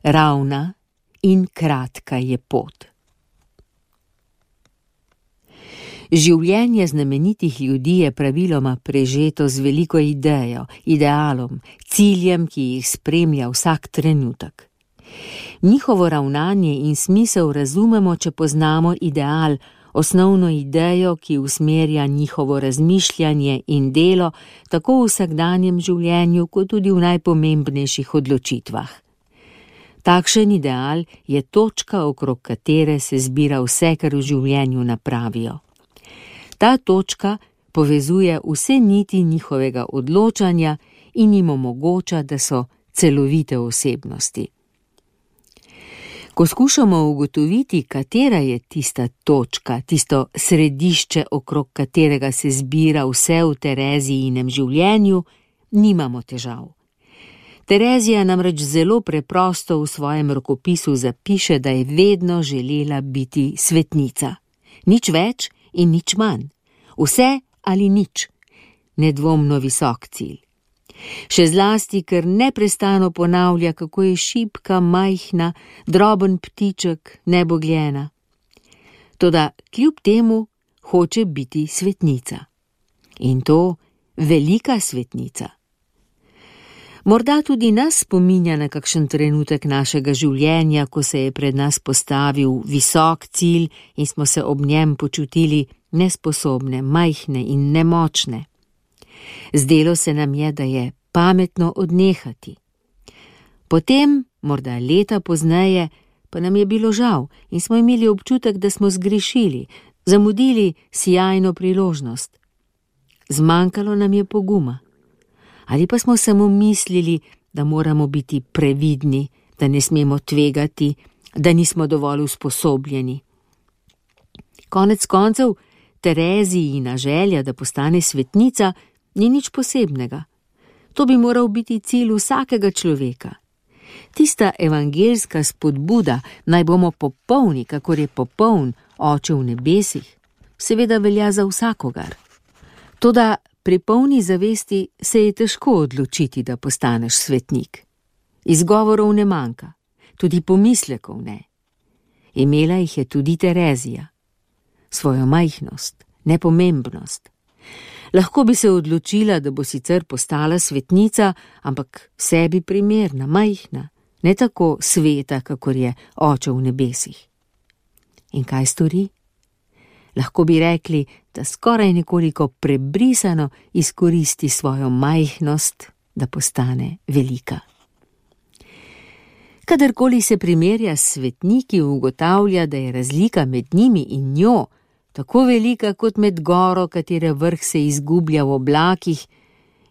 ravna in kratka je pot. Življenje znamenitih ljudi je praviloma prežeto z veliko idejo, idealom, ciljem, ki jih spremlja vsak trenutek. Njihovo ravnanje in smisel razumemo, če poznamo ideal, osnovno idejo, ki usmerja njihovo razmišljanje in delo tako v vsakdanjem življenju, kot tudi v najpomembnejših odločitvah. Takšen ideal je točka, okrog katere se zbira vse, kar v življenju napravijo. Ta točka povezuje vse niti njihovega odločanja in jim omogoča, da so celovite osebnosti. Ko skušamo ugotoviti, katera je tista točka, tisto središče, okrog katerega se zbira vse v Terezijinem življenju, nimamo težav. Terezija namreč zelo preprosto v svojem rokopisu zapiše, da je vedno želela biti svetnica. Nič več in nič manj. Vse ali nič. Nedvomno visok cilj. Še zlasti, ker neprestano ponavlja, kako je šibka, majhna, droben ptiček, nebogljena. Toda kljub temu hoče biti svetnica. In to velika svetnica. Morda tudi nas spominja na kakšen trenutek našega življenja, ko se je pred nas postavil visok cilj in smo se ob njem počutili nesposobne, majhne in nemočne. Zdelo se nam je, da je pametno odnehati. Potem, morda leta pozneje, pa nam je bilo žal in smo imeli občutek, da smo zgrešili, zamudili sijajno priložnost. Zmanjkalo nam je poguma. Ali pa smo samo mislili, da moramo biti previdni, da ne smemo tvegati, da nismo dovolj usposobljeni. Konec koncev, Terezijina želja, da postane svetnica, ni nič posebnega. To bi moral biti cilj vsakega človeka. Tista evangeljska spodbuda, naj bomo popolni, kakor je popoln Oče v nebesih, seveda velja za vsakogar. Toda pri polni zavesti se je težko odločiti, da postaneš svetnik. Izgovorov ne manjka, tudi pomislekov ne. Imela jih je tudi Terezija. Svojo majhnost, nepomembnost. Lahko bi se odločila, da bo sicer postala svetnica, ampak sebi primerna, majhna, ne tako sveta, kakor je Oče v nebesih. In kaj stori? Lahko bi rekli, da skoraj nekoliko prebrisano izkoristi svojo majhnost, da postane velika. Kadarkoli se primerja s svetniki, ugotavlja, da je razlika med njimi in njo tako velika kot med goro, katere vrh se izgublja v oblakih,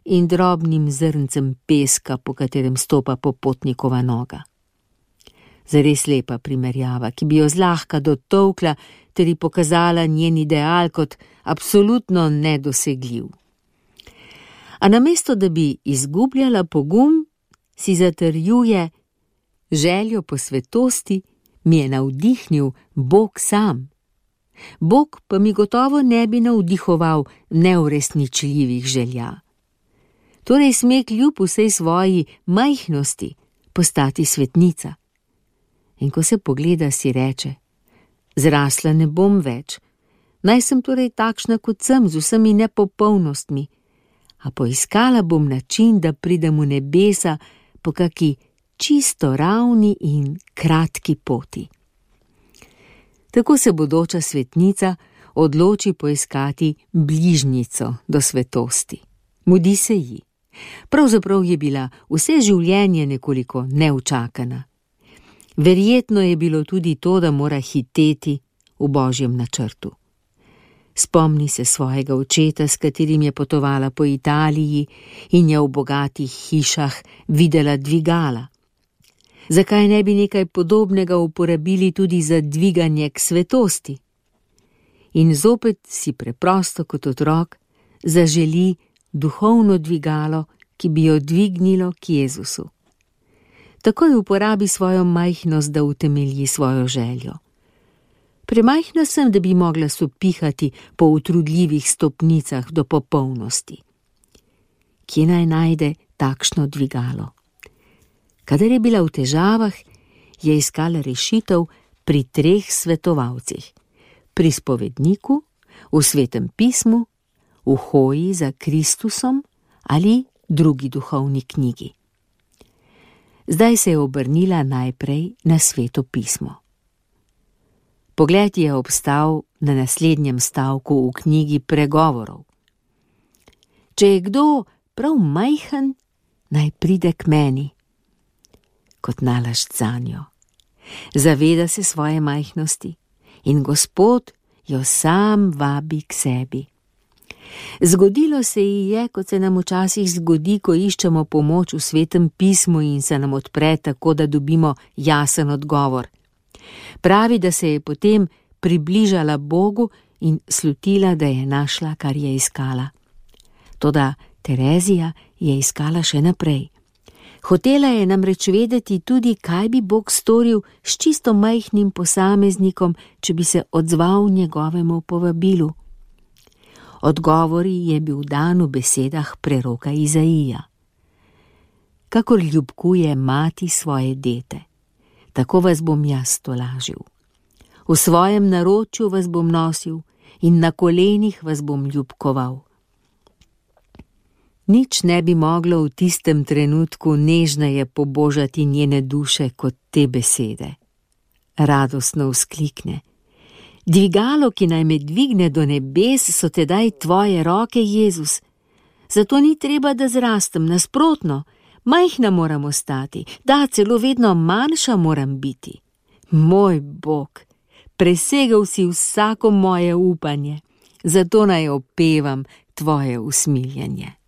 in drobnim zrncem peska, po katerem stopa popotnikova noga. Zares lepa primerjava, ki bi jo zlahka dotolkla ter ji pokazala njen ideal kot absolutno nedosegljiv. A namesto, da bi izgubljala pogum, si zatrjuje: željo po svetosti mi je navdihnil Bog sam. Bog pa mi gotovo ne bi navdihoval neuresničljivih želja. Torej sme kljub vsej svoji majhnosti postati svetnica. In ko se pogleda, si reče: zrasla ne bom več, naj sem torej takšna kot sem, z vsemi nepopolnostmi, a poiskala bom način, da pridem v nebesa po kaki čisto ravni in kratki poti. Tako se bodoča svetnica odloči poiskati bližnjico do svetosti. Mudi se ji. Pravzaprav je bila vse življenje nekoliko neučakana. Verjetno je bilo tudi to, da mora hiteti v Božjem načrtu. Spomni se svojega očeta, s katerim je potovala po Italiji in je v bogatih hišah videla dvigala. Zakaj ne bi nekaj podobnega uporabili tudi za dviganje k svetosti? In zopet si preprosto kot otrok zaželi duhovno dvigalo, ki bi jo dvignilo k Jezusu. Takoj uporabi svojo majhnost, da utemelji svojo željo. Premajhna sem, da bi mogla sopihati po utrudljivih stopnicah do popolnosti. Kje naj najde takšno dvigalo? Kadar je bila v težavah, je iskala rešitev pri 3 svetovalcih: pri spovedniku, v Svetem pismu, v hoji za Kristusom ali drugi duhovni knjigi. Zdaj se je obrnila najprej na Sveto pismo. Pogled je obstal na naslednjem stavku v knjigi Pregovorov. Če je kdo prav majhen, naj pride k meni. Kot nalašč zanjo. Zaveda se svoje majhnosti in Gospod jo sam vabi k sebi. Zgodilo se ji je, kot se nam včasih zgodi, ko iščemo pomoč v Svetem pismu in se nam odpre tako, da dobimo jasen odgovor. Pravi, da se je potem približala Bogu in slutila, da je našla, kar je iskala. Toda Terezija je iskala še naprej. Hotela je namreč vedeti tudi, kaj bi Bog storil s čisto majhnim posameznikom, če bi se odzval njegovemu povabilu. Odgovori je bil dan v besedah preroka Izaija. Kakor ljubkuje mati svoje dete, tako vas bom jaz tolažil. V svojem naročju vas bom nosil in na kolenih vas bom ljubkoval. Nič ne bi moglo v tistem trenutku nežneje pobožati njene duše kot te besede. Radostno vzklikne: Dvigalo, ki naj me dvigne do nebes, so tedaj tvoje roke, Jezus. Zato ni treba, da zrastem, nasprotno, majhna moram ostati, da celo vedno manjša moram biti. Moj Bog, presegel si vsako moje upanje, zato naj opevam tvoje usmiljenje.